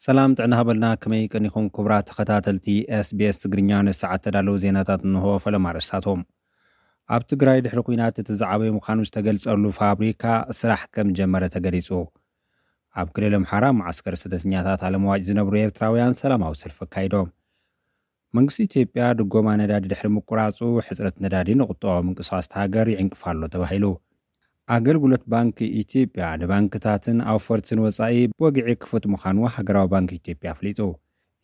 ሰላም ጥዕና ሃበልና፣ ከመይ ቀኒኹም ክቡራት ተኸታተልቲ ኤስቢኤስ ትግርኛ? ንሰዓት ተዳለዉ ዜናታት እንሆ። ፈለማ ኣርእስታቶም። ኣብ ትግራይ ድሕሪ ኲናት እቲ ዝዓበየ ምዃኑ ዝተገልጸሉ ፋብሪካ ስራሕ ከም ጀመረ ተገሊጹ። ኣብ ክልል ኣምሓራ መዓስከር ስደተኛታት ኣለምዋጭ ዝነብሩ ኤርትራውያን ሰላማዊ ሰልፊ ኣካይዶም። መንግስቲ ኢትዮጵያ ድጎማ ነዳዲ ድሕሪ ምቁራጹ ሕጽረት ነዳዲ ንቁጠባዊ ምንቅስቃስ ሃገር ይዕንቅፍ ኣሎ ተባሂሉ። ኣገልግሎት ባንኪ ኢትዮጵያ ንባንክታትን ኣውፈርትን ወጻኢ ብወግዒ ክፉት ምዃኑ ሃገራዊ ባንኪ ኢትዮጵያ ኣፍሊጡ።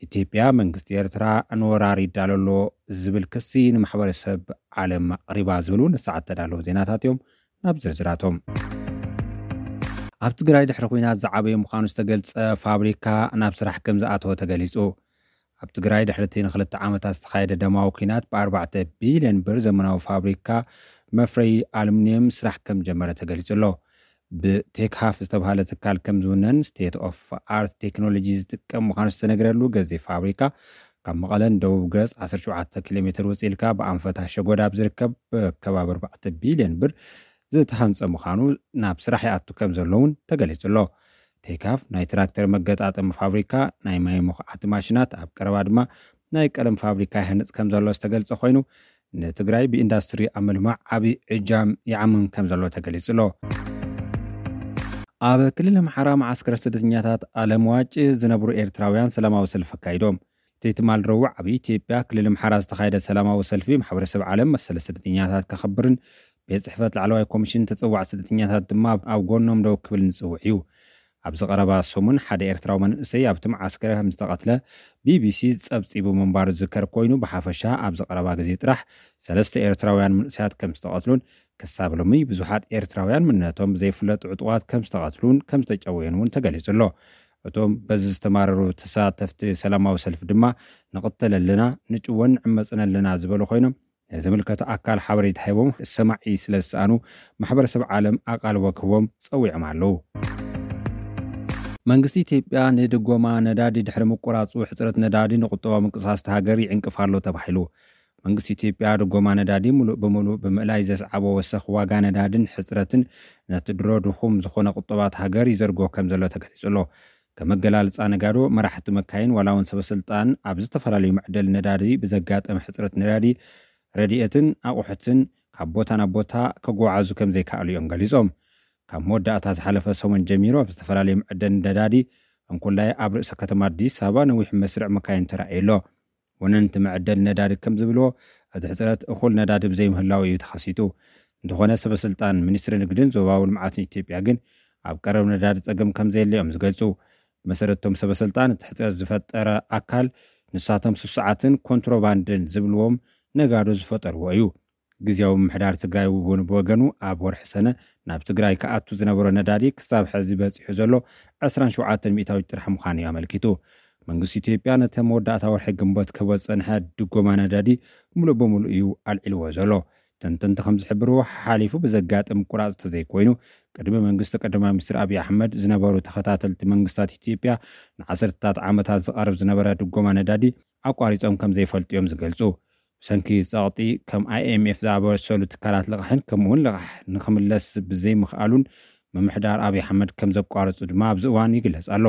ኢትዮጵያ መንግስቲ ኤርትራ ንወራር ይዳሎ ኣሎ ዝብል ክሲ ንማሕበረሰብ ዓለም ኣቕሪባ ዝብሉ ንሰዓት ተዳለዉ ዜናታት እዮም። ናብ ዝርዝራቶም። ኣብ ትግራይ ድሕሪ ኲናት ዝዓበየ ምዃኑ ዝተገልጸ ፋብሪካ ናብ ስራሕ ከም ዝኣተወ ተገሊጹ። ኣብ ትግራይ ድሕሪ እቲ ንክልተ ዓመታት ዝተኻየደ ደማዊ ኲናት ብኣርባዕተ ቢልዮን ብር ዘመናዊ ፋብሪካ መፍረይ ኣሉሚንየም ስራሕ ከም ጀመረ ተገሊጹ ኣሎ። ብቴክሃፍ ዝተባሃለ ትካል ከም ዝውነን ስቴት ኦፍ ኣርት ቴክኖሎጂ ዝጥቀም ምዃኑ ዝተነገረሉ ገዜ ፋብሪካ ካብ መቐለን ደቡብ ገጽ ዓሰርተ ሸውዓተ ኪሎ ሜትር ውጽእ ኢልካ ብኣንፈት ኣሸጎዳ ኣብ ዝርከብ ከባቢ ኣርባዕተ ቢልዮን ብር ዝተሃንጸ ምዃኑ ናብ ስራሕ ይኣቱ ከም ዘሎ እውን ተገሊጹ ኣሎ። ቴካፍ ናይ ትራክተር መገጣጠሚ ፋብሪካ፣ ናይ ማይ መኹዓቲ ማሽናት፣ ኣብ ቀረባ ድማ ናይ ቀለም ፋብሪካ ይሃንጽ ከም ዘሎ ዝተገልጸ ኮይኑ፣ ንትግራይ ብኢንዳስትሪ ኣብ ምልማዕ ዓቢ እጃም ይዓምም ከም ዘሎ ተገሊጹ ኣሎ። ኣብ ክልል ኣምሓራ መዓስከር ስደተኛታት ኣለምዋጭ ዝነብሩ ኤርትራውያን ሰላማዊ ሰልፊ ኣካይዶም። እቲ ትማል ረቡዕ ኣብ ኢትዮጵያ ክልል ኣምሓራ ዝተኻየደ ሰላማዊ ሰልፊ ማሕበረሰብ ዓለም መሰል ስደተኛታት ከኽብርን ቤት ጽሕፈት ላዕለዋይ ኮሚሽን ተጽዋዕ ስደተኛታት ድማ ኣብ ጎኖም ደው ክብል ንጽውዕ እዩ። ኣብዚ ቀረባ ሰሙን ሓደ ኤርትራዊ መንእሰይ ኣብቲ መዓስከር ከም ዝተቐትለ ቢቢሲ ጸብጺቡ ምንባሩ ዝዝከር ኮይኑ፣ ብሓፈሻ ኣብዚ ቀረባ ግዜ ጥራሕ ሰለስተ ኤርትራውያን መንእሰያት ከም ዝተቐትሉን ክሳብ ሎሚ ብዙሓት ኤርትራውያን መንነቶም ብዘይፍለጡ ዕጡቓት ከም ዝተቐትሉን ከም ዝተጨወዩን እውን ተገሊጹ ኣሎ። እቶም በዚ ዝተማረሩ ተሳተፍቲ ሰላማዊ ሰልፊ ድማ ንቕተል ኣለና፣ ንጭወን ንዕመጽን ኣለና ዝበሉ ኮይኖም፣ ንዝምልከቶ ኣካል ሓበሬታ ሂቦም ሰማዒ ስለ ዝሰኣኑ ማሕበረሰብ ዓለም ኣቓልቦ ክህቦም ጸዊዖም ኣለዉ። መንግስቲ ኢትዮጵያ ንድጎማ ነዳዲ ድሕሪ ምቁራጹ ሕጽረት ነዳዲ ንቁጠባዊ ምንቅስቃስ እታ ሃገር ይዕንቅፍ ኣሎ ተባሂሉ። መንግስቲ ኢትዮጵያ ድጎማ ነዳዲ ሙሉእ ብሙሉእ ብምእላይ ዘስዓቦ ወሰኽ ዋጋ ነዳድን ሕጽረትን ነቲ ድሮ ድኹም ዝኾነ ቁጠባ እታ ሃገር ይዘርጎ ከም ዘሎ ተገሊጹ ኣሎ። ከም መገላልጻ ነጋዶ፣ መራሕቲ መካይን ዋላ እውን ሰበስልጣን ኣብ ዝተፈላለዩ መዕደሊ ነዳዲ ብዘጋጠመ ሕጽረት ነዳዲ ረድኤትን ኣቑሑትን ካብ ቦታ ናብ ቦታ ከጓዓዙ ከም ዘይከኣሉ እዮም ገሊጾም። ካብ መወዳእታ ዝሓለፈ ሰሙን ጀሚሩ ኣብ ዝተፈላለዩ መዐደሊ ነዳዲ እንኩላይ ኣብ ርእሰ ከተማ ኣዲስ ኣበባ ነዊሕ መስርዕ መካይን ተራእዩ ኣሎ። ወነንቲ መዐደሊ ነዳዲ ከም ዝብልዎ፣ እቲ ሕጽረት እኹል ነዳዲ ብዘይምህላው እዩ ተኸሲቱ። እንተኾነ ሰበስልጣን ሚኒስትሪ ንግድን ዞባዊ ልምዓትን ኢትዮጵያ ግን ኣብ ቀረብ ነዳዲ ጸገም ከም ዘየለ እዮም ዝገልጹ። ብመሰረት እቶም ሰበስልጣን እቲ ሕጽረት ዝፈጠረ ኣካል ንሳቶም ስሱዓትን ኮንትሮባንድን ዝብልዎም ነጋዶ ዝፈጠርዎ እዩ። ግዝያዊ ምምሕዳር ትግራይ እውን ብወገኑ ኣብ ወርሒ ሰነ ናብ ትግራይ ክኣቱ ዝነበሮ ነዳዲ ክሳብ ሕዚ በፂሑ ዘሎ ዕስራን ሸውዓተን ሚእታዊት ጥራሕ ምዃኑ እዩ ኣመልኪቱ። መንግስቲ ኢትዮጵያ ነቲ መወዳእታ ወርሒ ግንቦት ክህቦ ዝፀንሐ ድጎማ ነዳዲ ሙሉእ ብሙሉእ እዩ ኣልዒልዎ ዘሎ። ተንተንቲ ከም ዝሕብርዎ፣ ሓሓሊፉ ብዘጋጥም ቁራፅ ተዘይኮይኑ ቅድሚ መንግስቲ ቀዳማይ ሚኒስትር ኣብይ ኣሕመድ ዝነበሩ ተኸታተልቲ መንግስታት ኢትዮጵያ ንዓሰርተታት ዓመታት ዝቐርብ ዝነበረ ድጎማ ነዳዲ ኣቋሪጾም ከም ዘይፈልጡ እዮም ዝገልጹ። ብሰንኪ ጸቕጢ ከም ኣይኤምኤፍ ዝኣመሰሉ ትካላት ልቓሕን ከምኡውን ልቓሕ ንኽምለስ ብዘይምኽኣሉን ምምሕዳር ኣብይ ኣሕመድ ከም ዘቋረጹ ድማ ኣብዚ እዋን ይግለጽ ኣሎ።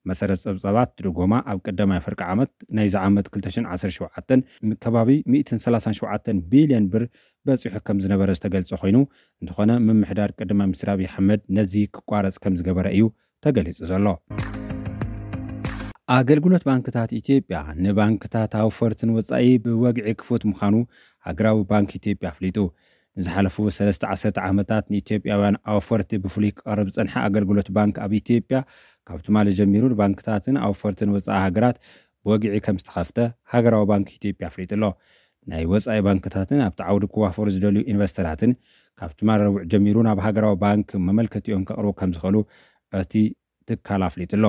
መሰረት ጸብጻባት ድጎማ ኣብ ቀዳማይ ፍርቂ ዓመት ናይዚ ዓመት ክልተ ሽሕን ዓሰርተ ሸውዓተን ከባቢ ሚእትን ሰላሳን ሸውዓተን ቢልዮን ብር በጺሑ ከም ዝነበረ ዝተገልጸ ኮይኑ፣ እንተኾነ ምምሕዳር ቀዳማይ ሚኒስትር ኣብይ ኣሕመድ ነዚ ክቋረጽ ከም ዝገበረ እዩ ተገሊጹ ዘሎ። ኣገልግሎት ባንክታት ኢትዮጵያ ንባንክታት ኣውፈርትን ወጻኢ ብወግዒ ክፉት ምዃኑ ሃገራዊ ባንክ ኢትዮጵያ ኣፍሊጡ። ንዝሓለፉ ሰለስተ ዓሰርተ ዓመታት ንኢትዮጵያውያን ኣውፈርቲ ብፍሉይ ክቐርብ ዝጸንሐ ኣገልግሎት ባንክ ኣብ ኢትዮጵያ ካብ ትማሊ ጀሚሩ ንባንክታትን ኣውፈርትን ወጻኢ ሃገራት ብወግዒ ከም ዝተኸፍተ ሃገራዊ ባንክ ኢትዮጵያ ኣፍሊጡ ኣሎ። ናይ ወጻኢ ባንክታትን ኣብቲ ዓውዲ ክዋፈሩ ዝደልዩ ኢንቨስተራትን ካብ ትማሊ ረቡዕ ጀሚሩ ናብ ሃገራዊ ባንክ መመልከቲኦም ከቕርቡ ከም ዝኽእሉ እቲ ትካል ኣፍሊጡ ኣሎ።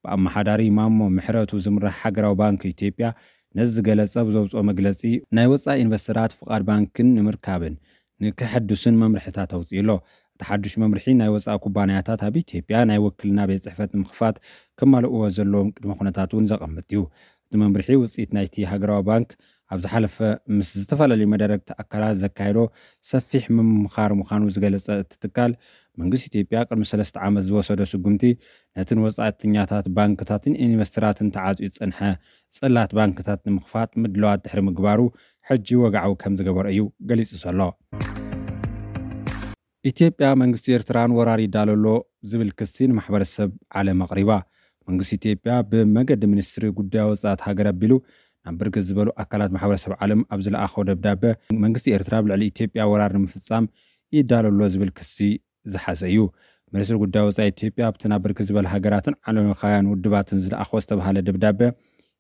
ብኣመሓዳሪ ማሞ ምሕረቱ ዝምራሕ ሃገራዊ ባንክ ኢትዮጵያ ነዚ ዝገለጸ ብዘውፅኦ መግለፂ፣ ናይ ወፃኢ ኢንቨስተራት ፍቓድ ባንክን ንምርካብን ንክሕድሱን መምርሕታት ኣውፂኡ ኣሎ። እቲ ሓዱሽ መምርሒ ናይ ወፃኢ ኩባንያታት ኣብ ኢትዮጵያ ናይ ውክልና ቤት ፅሕፈት ንምኽፋት ከማልእዎ ዘለዎም ቅድመ ኩነታት እውን ዘቐምጥ እዩ። እቲ መምርሒ ውፅኢት ናይቲ ሃገራዊ ባንክ ኣብ ዝሓለፈ ምስ ዝተፈላለዩ መዳርግቲ ኣካላት ዘካየዶ ሰፊሕ ምምኻር ምዃኑ ዝገለጸ እቲ ትካል፣ መንግስቲ ኢትዮጵያ ቅድሚ ሰለስተ ዓመት ዝወሰዶ ስጉምቲ ነትን ወጻእተኛታት ባንክታትን ኢንቨስተራትን ተዓጽዩ ዝጸንሐ ጽላት ባንክታት ንምኽፋት ምድለዋት ድሕሪ ምግባሩ ሕጂ ወግዓዊ ከም ዝገበሮ እዩ ገሊጹ ዘሎ። ኢትዮጵያ መንግስቲ ኤርትራ ንወራር ይዳሎ ኣሎ ዝብል ክሲ ንማሕበረሰብ ዓለም ኣቕሪባ። መንግስቲ ኢትዮጵያ ብመገዲ ሚኒስትሪ ጉዳይ ወጻእት ሃገር ኣቢሉ ናብ ብርክት ዝበሉ ኣካላት ማሕበረሰብ ዓለም ኣብ ዝለኣኾ ደብዳበ መንግስቲ ኤርትራ ኣብ ልዕሊ ኢትዮጵያ ወራር ንምፍጻም ይዳሎ ኣሎ ዝብል ክሲ ዝሓዘ እዩ። ሚኒስትሪ ጉዳይ ወጻኢ ኢትዮጵያ ኣብቲ ናብ ብርክት ዝበለ ሃገራትን ዓለምለኻውያን ውድባትን ዝለኣኾ ዝተባሃለ ደብዳበ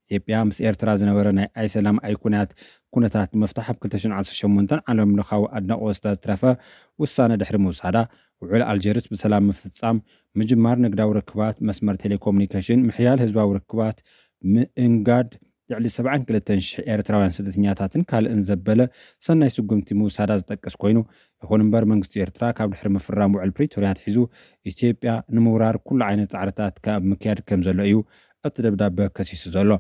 ኢትዮጵያ ምስ ኤርትራ ዝነበረ ናይ ኣይሰላም ኣይኩናት ኩነታት ምፍታሕ ኣብ ክልተ ሽሕን ዓሰርተ ሸሞንተን ዓለምለኻዊ ኣድናቖት ዝተትረፈ ውሳነ ድሕሪ ምውሳዳ ውዕል ኣልጀርስ ብሰላም ምፍጻም ምጅማር ንግዳዊ ርክባት መስመር ቴሌኮሙኒኬሽን ምሕያል ህዝባዊ ርክባት ምእንጋድ ልዕሊ ሰብዓን ክልተን ሽሕ ኤርትራውያን ስደተኛታትን ካልእን ዘበለ ሰናይ ስጉምቲ ምውሳዳ ዝጠቅስ ኮይኑ ይኹን እምበር መንግስቲ ኤርትራ ካብ ድሕሪ ምፍራም ውዕል ፕሪቶርያ ኣትሒዙ ኢትዮጵያ ንምውራር ኩሉ ዓይነት ጻዕርታት ካብ ምክያድ ከም ዘሎ እዩ እቲ ደብዳበ ከሲሱ ዘሎ።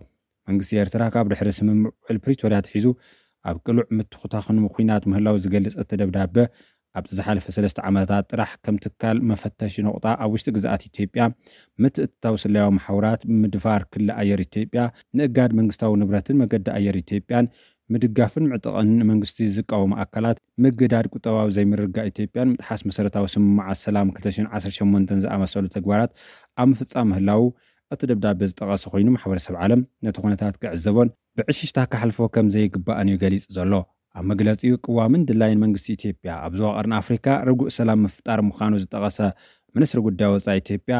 መንግስቲ ኤርትራ ካብ ድሕሪ ስምምዕ ውዕል ፕሪቶርያ ኣትሒዙ ኣብ ቅሉዕ ምትኹታኽን ምኹናት ምህላው ዝገልጽ እቲ ደብዳበ ኣብቲ ዝሓለፈ ሰለስተ ዓመታት ጥራሕ ከም ትካል መፈተሺ ነቑጣ ኣብ ውሽጢ ግዝኣት ኢትዮጵያ ምትእትታው ስለያዊ መሓውራት ምድፋር ክሊ ኣየር ኢትዮጵያ ንእጋድ መንግስታዊ ንብረትን መገዲ ኣየር ኢትዮጵያን ምድጋፍን ምዕጥቕን ንመንግስቲ ዝቃወሙ ኣካላት ምግዳድ ቁጠባዊ ዘይምርግጋእ ኢትዮጵያን ምጥሓስ መሰረታዊ ስምምዓት ሰላም ክልተ ሽሕን ዓሰርተ ሸሞንተን ዝኣመሰሉ ተግባራት ኣብ ምፍጻም ምህላው እቲ ደብዳበ ዝጠቐሰ ኮይኑ ማሕበረሰብ ዓለም ነቲ ኩነታት ክዕዘቦን ብዕሽሽታ ክሓልፎ ከም ዘይግባእን እዩ ገሊጹ ዘሎ። ኣብ መግለጺኡ ቅዋምን ድላይን መንግስቲ ኢትዮጵያ ኣብ ዞባ ቀርኒ ኣፍሪካ ርጉእ ሰላም ምፍጣር ምዃኑ ዝጠቐሰ ሚኒስትሪ ጉዳይ ወጻኢ ኢትዮጵያ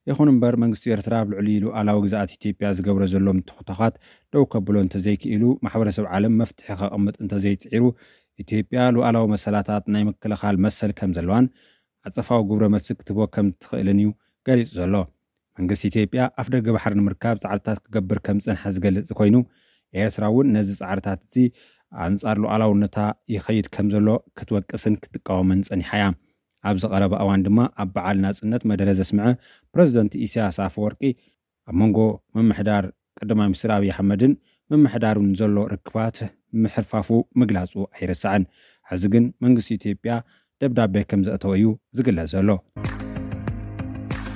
ይኹን እምበር መንግስቲ ኤርትራ ኣብ ልዕሊ ሉኣላዊ ግዝኣት ኢትዮጵያ ዝገብሮ ዘሎ ምትኹታኻት ደው ከብሎ እንተዘይክኢሉ ማሕበረሰብ ዓለም መፍትሒ ከቐምጥ እንተዘይፅዒሩ ኢትዮጵያ ሉኣላዊ መሰላታት ናይ ምክልኻል መሰል ከም ዘለዋን ዓጸፋዊ ግብረ መልሲ ክትህቦ ከም ትኽእልን እዩ ገሊጹ ዘሎ። መንግስቲ ኢትዮጵያ ኣፍ ደገ ባሕሪ ንምርካብ ጻዕርታት ክገብር ከም ዝጸንሐ ዝገልጽ ኮይኑ ኤርትራ እውን ነዚ ጻዕርታት እዚ ኣንጻር ሉዓላውነታ ይኸይድ ከም ዘሎ ክትወቅስን ክትቃወምን ጸኒሓ እያ። ኣብዚ ቀረባ እዋን ድማ ኣብ በዓል ናጽነት መደረ ዘስምዐ ፕረዚደንት ኢሳያስ ኣፈወርቂ ኣብ መንጎ ምምሕዳር ቀዳማይ ሚኒስትር ኣብይ ኣሕመድን ምምሕዳሩን ዘሎ ርክባት ምሕርፋፉ ምግላጹ ኣይረሳዕን። ሕዚ ግን መንግስቲ ኢትዮጵያ ደብዳቤ ከም ዘእተወ እዩ ዝግለጽ ዘሎ።